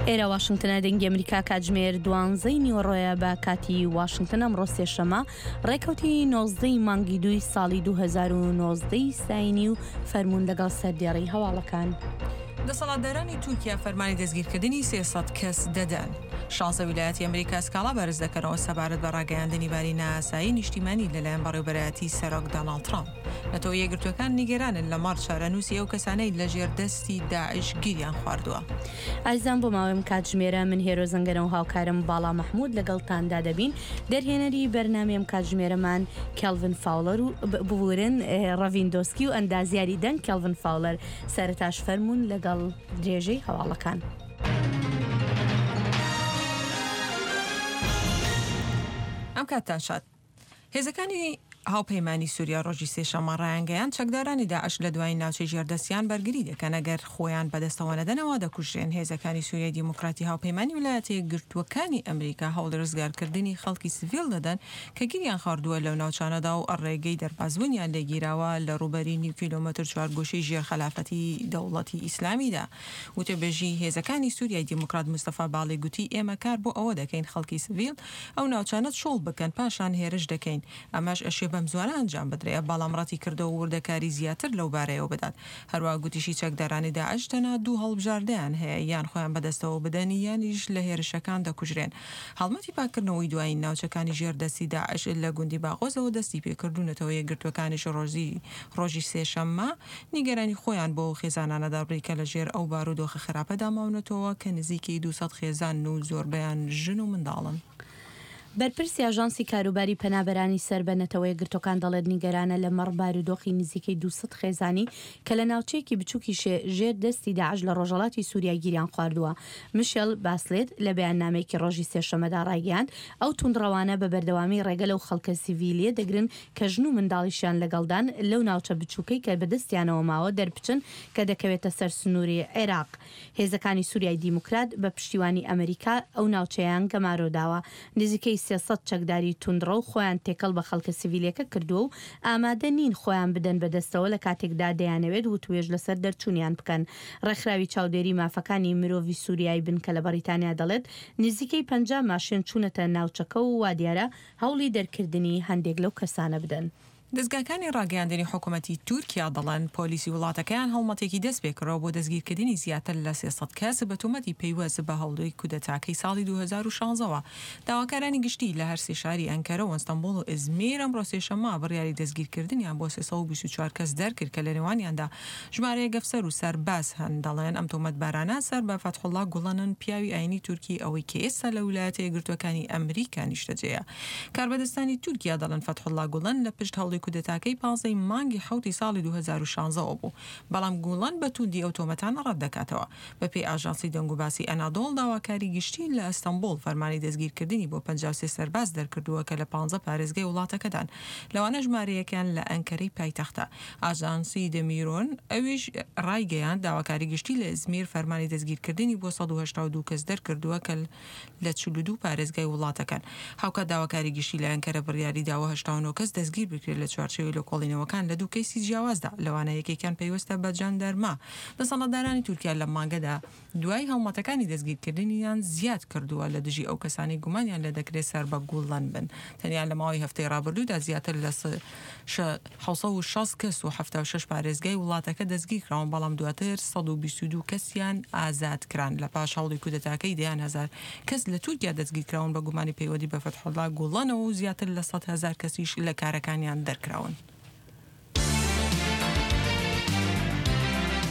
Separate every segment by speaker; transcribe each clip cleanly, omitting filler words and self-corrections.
Speaker 1: ئێرە واشنگتنە دەنگی ئەمریکا کاتژمێر دوانزەی نیوەڕۆیە بە کاتی واشنگتن ئەمڕۆ سێشەمە ڕێکەوتی نۆزدەی مانگی دووی ساڵی 2019 ساینی و فەرمونون لەگەڵ سەردێڕی هەواڵەکان.
Speaker 2: دەسەڵاتدارانی تورکیا فەرمانی دەستگیرکردنی 300 کەس دەدەن. شانزە ویلایەتی ئەمریکا سکاڵا بەرز دەکەنەوە سەبارەت بە ڕاگەیاندنی باری نائاسایی نیشتیمانی لەلایەن بەڕێوبەرایەتی سەرۆک داناڵد ترامپ. نەتەوە یەکگرتووەکان نیگەرانن لەمەڕ چارەنووسی ئەو کەسانەی لەژێر دەستی داعش گیریان خواردووە.
Speaker 1: ئازیزان بۆ ماوەی ئەم کاتژمێرە من هێرۆ زەنگەنە و هاوکارم باڵا مەحمود لەگەڵتاندا دەبین، دەرهێنەری بەرنامەی ئەم کاتژمێرەمان کێڵڤن فاوڵەر و ببورن ڕەڤین دۆسکی و ئەندازیاری دەنگ کێڵڤن فاوڵەر، سەرەتاش فەرموون لەگەڵ درێژەی هەواڵەکان.
Speaker 2: ئەم کاتتان شاد. هێزەکانی هاوپەیمانی سوریا ڕۆژی سێشەممە ڕایانگەیاند، چەکدارانی داعش لە دوایین ناوچەی ژێردەستیان بەرگری دەکەن، ئەگەر خۆیان بەدەستەوە نەدەنەوە دەکوژرێن. هێزەکانی سوریای دیموکراتی هاوپەیمانی ویلایەتە یەکگرتووەکانی ئەمریکا هەوڵی ڕزگارکردنی خەڵکی سڤیل دەدەن کە گیریان خواردووە لەو ناوچانەدا و ڕێگەی دەربازبوونیان لێگیراوە لە ڕووبەری نیو کیلۆمەتر چوارگۆشەی ژێر خەلافەتی دەوڵەتی ئیسلامیدا. وتەبێژی هێزەکانی سوریای دیموکرات مستەفا باڵی گوتی، ئێمە کار بۆ ئەوە دەکەین خەڵکی سڤیل ئەو ناوچانە چۆڵ بکەن، پاشان هێرش دەکەین. ئەمەش ئەشێ بەمزوانە ئەنجام بدرێ، بەڵام ڕەتیکردەوە وردەکاری زیاتر لەو بارەیەوە بدات. هەروەها گوتیشی چەکدارانی داعش تەنها دوو هەڵبژاردەیان هەیە، یان خۆیان بەدەستەوە بدەن یانیش لە هێرشەکان دەکوژرێن. هەڵمەتی پاککردنەوەی دوایین ناوچەکانی ژێر دەستی داعش لە گوندی باغۆزەوە دەستیپێکرد و نەتەوە یەکگرتووەکانیش ڕۆژی ڕۆژی سێشەممە نیگەرانی خۆیان بۆ ئەو خێزانانە دەربڕی کە لە ژێر ئەو بارودۆخە خراپەدا ماونەتەوە کە نزیکەی 200 خێزانن و زۆربەیان ژن و منداڵن.
Speaker 1: بەرپرسی ئاژانسی کاروباری پەنابەرانی سەر بە نەتەوەیەکگرتوەکان دەڵێت نیگەرانە لە مەڕ بارودۆخی نزیکەی 200 خێزانی کە لە ناوچەیەکی بچوکی ژێر دەستی داعش لە ڕۆژهەڵاتی سوریا گیریان خواردووە. مشێل باسلێت لە بەیاننامەیەکی ڕۆژی سێشەممەدا ڕایگەیاند ئەو توندڕەوانە بە بەردەوامی ڕێگە لەو خەڵکە سیڤیلیە دەگرن کە ژن و منداڵیشیان لەگەڵدان لەو ناوچە بچووکەی کە بەدەستیانەوە ماوە دەربچن کە دەکەوێتە سەر سنووری عێراق. هێزەکانی سوریای دیموکرات بە پشتیوانی ئەمریکا ئەو ناوچەیان گەمارۆ داوە. نزیکەی 300 چەکداری توندڕەو خۆیان تێکەڵ بە خەڵکە سیڤیلەکە کردووە و ئامادە نین خۆیان بدەن بەدەستەوە لە کاتێکدا دەیانەوێت وتوێژ لەسەر دەرچوونیان بکەن. ڕێکخراوی چاودێری مافەکانی مرۆڤی سوریای بنکە لە بەڕیتانیا دەڵێت نزیکەی 50 ماشێن چوونەتە ناوچەکە و وادیارە هەوڵی دەرکردنی هەندێک لەو کەسانە بدەن.
Speaker 2: دەزگاکانی ڕاگەیاندنی حکومەتی تورکیا دەڵێن، پۆلیسی وڵاتەکەیان هەڵمەتێکی دەستپێکردوە بۆ دەستگیرکردنی زیاتر لە 300 کەس بە تۆمەتی پەیوەست بە هەوڵی کودەتاکەی ساڵی 2016 وە. داواکارانی گشتی لە هەرسێ شاری ئەنکەرە و ئەستەنبوڵ و ئیزمیر ئەمڕۆ سێشەممە بڕیاری دەستگیرکردنیان بۆ 324 کەس دەرکرد کە لەنێوانیاندا ژمارەیەک ئەفسەر و سەرباز هەن، دەڵێن ئەم تۆمەتبارانە سەر بە فەتحوڵا گوڵەنن، پیاوی ئایینی تورکی ئەوەی کە ئێستا لە ولایەتە یەکگرتووەکانی ئەمریکا نیشتەجێیە. کاربەدەستانی تورکیا دەڵێن فەتحوڵا گوڵەن لە پشت هەوڵی کودەتاکەی 15 ی مانگی حەوتی ساڵی 2016 ەوە بوو، بەڵام گوڵەن بە تووندی ئەو تۆمەتانە ڕەت دەکاتەوە. بەپێی ئاژانسی دەنگوباسی ئەنادۆڵ، داواکاری گشتی لە ئەستەنبوڵ فەرمانی دەستگیرکردنی بۆ 53 سەرباز دەرکردووە کە لە پانزە پارێزگای وڵاتەکەدان، لەوانە ژمارەیەکیان لە ئەنکەرەی پایتەختە. ئاژانسی دەمیرۆن ئەویش ڕایگەیاند، داواکاری گشتی لە ئیزمیر فەرمانی دەستگیرکردنی بۆ 182 کەس دەرکردووە کە لە 42 پارێزگای وڵاتەکەن. هاوکات داواکاری گشتی لە ئەنکەرە بڕیاری داوە 89 کەس دەستگیر بکرێت لە چوارچێوەی لێکۆڵینەوەکان لە دوو کەیسی جیاوازدا، لەوانە یەکێکیان پەیوەستە بە جەندەرما. دەسەڵاتدارانی تورکیا لەم مانگەدا دوای هەڵمەتەکانی دەستگیرکردنیان زیاد کردووە لە دژی ئەو کەسانەی گومانیان لێدەکرێت سەر بە گوڵەن بن. تەنیا لە ماوەی هەفتەی ڕابردوودا زیاتر لە 760 کەس و 76 پارێزگای وڵاتەکە دەستگیرکراون، بەڵام دواتر 122 کەسیان ئازاد کران. لە پاش هەوڵی کودەتاکەی دەیان هەزار کەس لە تورکیا دەستگیرکراون بە گومانی پەیوەندی بە فەتحوڵا گوڵەنەوە و زیاتر لە 100,000 کەسیش لە کارەکانیان دەرکراون.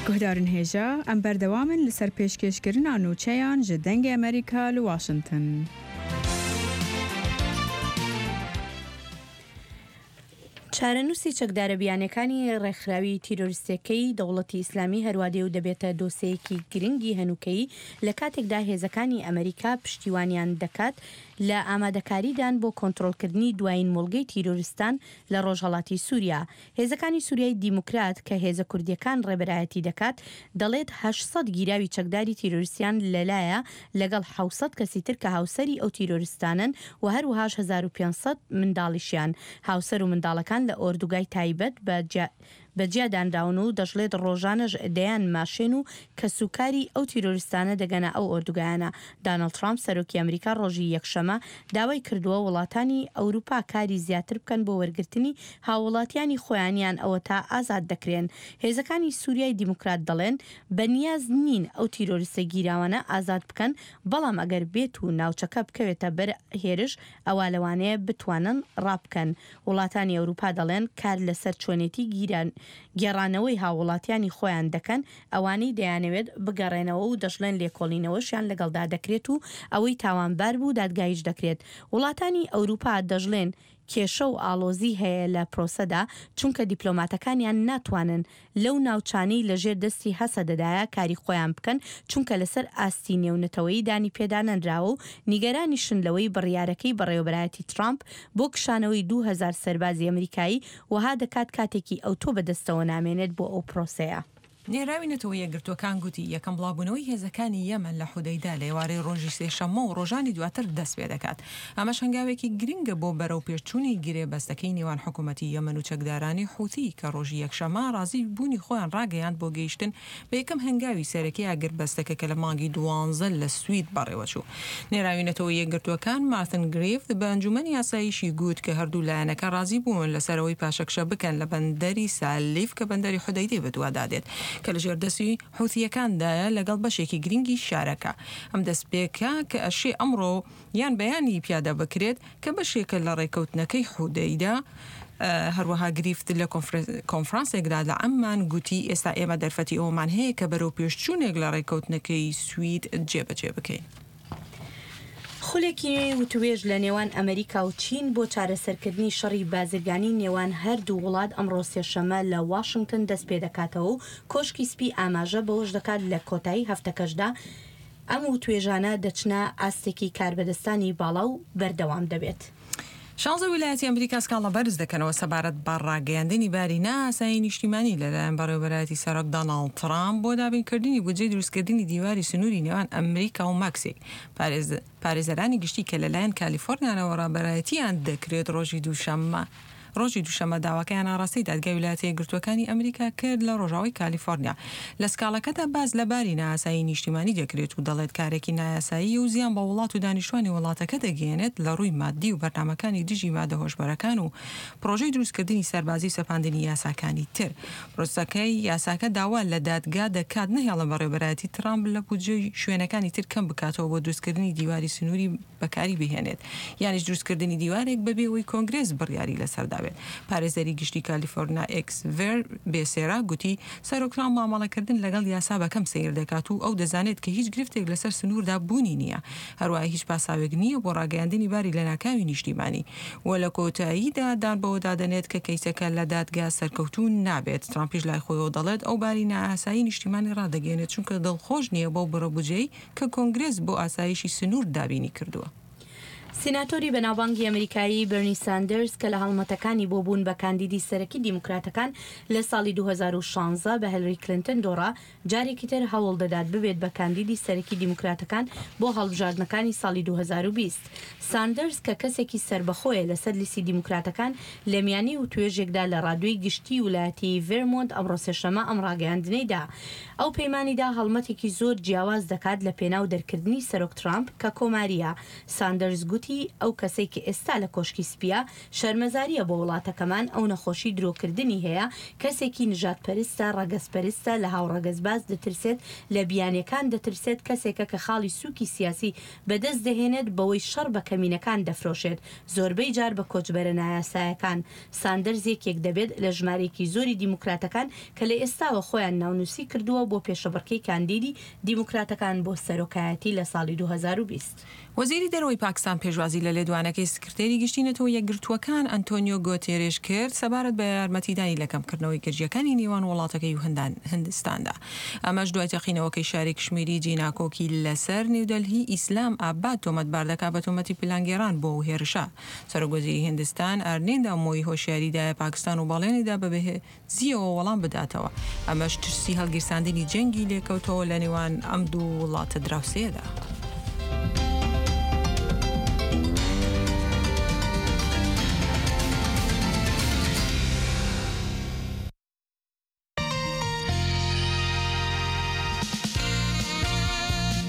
Speaker 3: Guhdarên hêja, em berdewam in li ser pêşkêşkirina nûçeyan ji Dengê Amerîka li Washington.
Speaker 1: چارەنووسی چەکدارە بیانیەکانی ڕێکخراوی تیرۆریستیەکەی دەوڵەتی ئیسلامی هەروا دێ و دەبێتە دۆسێیەکی گرنگی هەنووکەیی لە کاتێکدا هێزەکانی ئەمەریکا پشتیوانیان دەکات لە ئامادەکاریدان بۆ کۆنترۆڵکردنی دوایین مۆڵگەی تیرۆریستان لە ڕۆژهەڵاتی سوریا، هێزەکانی سوریای دیموکرات کە هێزە کوردیەکان ڕێبەرایەتی دەکات، دەڵێت 800 گیراوی چەکداری تیرۆریستیان لەلایە لەگەڵ 700 کەسی تر کە هاوسەری ئەو تیرۆریستانەن و هەروەهاش 1500 منداڵیشیان. هاوسەر و منداڵەکان لە ئۆردوگای تایبەت بە. بە جیا دانراون و دەشڵێت ڕۆژانەش دەیان ماشێن و کەسوکاری ئەو تیرۆریستانە دەگەنە ئەو ئۆردوگایانە. دانڵد ترامپ سەرۆکی ئەمریکا ڕۆژی یەکشەمە داوای کردووە وڵاتانی ئەوروپا کاری زیاتر بکەن بۆ وەرگرتنی هاووڵاتیانی خۆیان یان ئەوەتا ئازاد دەکرێن. هێزەکانی سوریای دیموکرات دەڵێن بە نیاز نین ئەو تیرۆریستە گیراوانە ئازاد بکەن، بەڵام ئەگەر بێت و ناوچەکە بکەوێتە بەر هێرش ئەوا لەوانەیە بتوانن ڕابکەن. وڵاتانی ئەوروپا دەڵێن کار لەسەر چۆنێتی گێڕانەوەی هاووڵاتیانی خۆیان دەکەن ئەوانەی دەیانەوێت بگەڕێنەوە و دەشڵێن لێکۆڵینەوەشیان لەگەڵدا دەکرێت و ئەوەی تاوانبار بوو دادگاییش دەکرێت. وڵاتانی ئەوروپا دەشڵێن کێشە و ئاڵۆزی هەیە لە پرۆسەدا چونکە دیپلۆماتەکانیان ناتوانن لەو ناوچانەی لەژێر دەستی هەسەدەدایە کاری خۆیان بکەن چونکە لەسەر ئاستی نێونەتەوەیی دانی پێدانەنراوە و نیگەرانیشن لەوەی بڕیارەکەی بەڕێوەبەرایەتی ترامپ بۆ کشانەوەی 2000 سەربازی ئەمریکایی وەها دەکات کاتێکی ئەوتۆ بەدەستەوە نامێنێت بۆ ئەو پرۆسەیە.
Speaker 2: نێراوی نەتەوە یەکگرتووەکان گوتی، یەکەم بڵاوبوونەوەی هێزەکانی یەمەن لە حودەیدە لە ئێوارەی ڕۆژی سێشەممە و ڕۆژانی دواتر دەستپێدەکات. ئەمەش هەنگاوێکی گرنگە بۆ بەرەوپێشچوونی گرێبەستەکەی نێوان حکومەتی یەمەن و چەکدارانی حوثی کە ڕۆژی یەکشەممە ڕازی بوونی خۆیان ڕاگەیاند بۆ گەیشتن بە یەکەم هەنگاوی سەرەکی ئاگربەستەکە کە لە مانگی دوانزە لە سوید بەڕێوەچوو. نێراوی نەتەوە یەکگرتووەکان مارتن گریفت بە ئەنجومەنی ئاسایشی گوت کە هەردوو لایەنەکە ڕازی بوون لەسەر ئەوەی پاشەکشە بکەن لە بەندەری سالیف کە بەندەری حودەیدەی بەدوادا دێت کە لەژێر دەستی حوثییەکاندایە لەگەڵ بەشێکی گرنگی شارەکە. ئەم دەستپێکە کە ئەشێ ئەمڕۆ یان بەیانی پیادە بکرێت کە بەشێکە لە ڕێککەوتنەکەی حودەیدە، هەروەها گریفت لە کۆنفرانسێکدا لە عەممان گوتی ئێستا ئێمە دەرفەتی ئەوەمان هەیە کە بەرەوپێشچوونێک لە ڕێککەوتنەکەی سوید جێبەجێ بکەین.
Speaker 1: خولێکی نوێی وتوێژ لە نێوان ئەمریکا و چین بۆ چارەسەرکردنی شەڕی بازرگانی نێوان هەردوو وڵات ئەمڕۆ سێشەممە لە واشنگتن دەستپێدەکاتەوە و کۆشکی سپی ئاماژە بەوەش دەکات لە کۆتایی هەفتەکەشدا ئەم وتوێژانە دەچنە ئاستێکی کاربەدەستانی باڵا و بەردەوام دەبێت.
Speaker 2: شانزە ویلایەتی ئەمریکا سکاڵا بەرز دەکەنەوە سەبارەت بە ڕاگەیاندنی باری نائاسایی نیشتیمانی لەلایەن بەڕێوەبەرایەتی سەرۆک داناڵد ترامپ بۆ دابینکردنی بودجەی دروستکردنی دیواری سنووری نێوان ئەمریکا و مەکسیک. پارێزەرانی گشتی کە لەلایەن کالیفۆرنیانەوە ڕابەرایەتییان دەکرێت ڕۆژی دووشەممە ڕۆژی دووشەممە داواکەیان ئاڕاستەی دادگای ویلایەتە یەکگرتووەکانی ئەمریکا کرد لە ڕۆژاوای کالیفۆرنیا. لە سکاڵەکەدا باس لە باری نائاسایی نیشتیمانی دەکرێت و دەڵێت کارێکی نایاساییە و زیان بە وڵات و دانیشتوانی وڵاتەکە دەگەیەنێت لە ڕووی ماددی و بەرنامەکانی دژی مادە هۆشبەرەکان و پڕۆژەی دروستکردنی سەربازی و سەپاندنی یاساکانی تر. پرۆسەکەی یاساکە داوا لە دادگا دەکات نەهێڵن بەڕێوەبەرایەتی ترامپ لە بودجەی شوێنەکانی تر کەم بکاتەوە بۆ دروستکردنی دیواری سنووری بەکاری بهێنێت یانیش دروستکردنی دیوارێک بەبێ ئەوەی کۆنگرێس بڕیاری لەسەر دابێت. پارێزەری گشتی کالیفۆرنا ئێکسڤێر بێسێرا گوتی، سەرۆک ترامپ مامەڵەکردن لەگەڵ یاسا بە کەم سەیر دەکات و ئەو دەزانێت کە هیچ گرفتێک لەسەر سنووردا بوونی نییە، هەروەها هیچ پاساوێک نییە بۆ ڕاگەیاندنی باری لەناکاوی نیشتیمانی و لە کۆتاییدا دان بەوەدا دەنێت کە کەیسەکە لە دادگا سەرکەوتوو نابێت. ترامپیش لای خۆیەوە دەڵێت، ئەو باری نائاسایی نیشتیمانی ڕادەگەیەنێت چونکە دڵخۆش نییە بەو بڕە بودجەی کە کۆنگرێس بۆ ئاسایشی سنوور دابینی کردووە.
Speaker 1: سیناتۆری بەناوبانگی ئەمریکایی بێرنی ساندەرز کە لە هەڵمەتەکانی بۆ بوون بە کاندیدی سەرەکی دیموکراتەکان لە ساڵی 2016 بە هێلری کلنتن دۆڕا، جارێکی تر هەوڵ دەدات ببێت بە کاندیدی سەرەکی دیموکراتەکان بۆ هەڵبژاردنەکانی ساڵی 2020. ساندەرز کە کەسێکی سەربەخۆیە لەسەر لیستی دیموکراتەکان لە میانی وتوێژێکدا لە ڕادیۆی گشتی ولایەتی ڤێرمۆنت ئەمڕۆ سێشەممە ئەم ڕاگەیاندنەی دا. ئەو پەیمانی دا هەڵمەتێکی زۆر جیاواز دەکات لە پێناو دەرکردنی سەرۆک ترامپ کە کۆمارییە. ساندەرز گوتی ئەو کەسەی کە ئێستا لە کۆشکی سپییە شەرمەزارییە بۆ وڵاتەکەمان، ئەو نەخۆشی درۆکردنی هەیە، کەسێکی نژادپەرستە، ڕەگەزپەرستە، لە هاوڕەگەزباز دەترسێت، لە بیانییەکان دەترسێت، کەسێکە کە خاڵی سووکی سیاسی بەدەست دەهێنێت بەوەی شەڕ بە کەمینەکان دەفرۆشێت، زۆربەی جار بە کۆچبەرە نایاسایەکان. ساندەرز یەکێک دەبێت لە ژمارەیەکی زۆری دیموکراتەکان کە لە ئێستاوە خۆیان ناونووسی کردووە بۆ پێشەبڕکێی کاندیدی دیموکراتەکان بۆ سەرۆکایەتی لە ساڵی 2020.
Speaker 2: وەزیری دەرەوەی پاکستان پێشوازی لە لێدوانەکەی سکرتێری گشتی نەتەوە یەکگرتووەکان ئەنتۆنیۆ گۆتێرێش کرد سەبارەت بە یارمەتیدانی لە کەمکردنەوەی گرژییەکانی نێوان وڵاتەکەی و هندستاندا. ئەمەش دوای تەقینەوەکەی شاری کشمیری جێی ناکۆکی لەسەر نیودەلهی ئیسلام ئاباد تۆمەتبار دەکات بە تۆمەتی پلانگێڕان بۆ ئەو هێرشە. سەرۆک وەزیری هیندستان ئارنیندا مۆی هۆشیاری دایە پاکستان و بەڵێنی دا بە بەهێزییەوە وەڵام بداتەوە، ئەمەش ترسی هەڵگیرساندنی جەنگی لێکەوتەوە لە نێوان ئەم دوو وڵاتە دراوسێیەدا.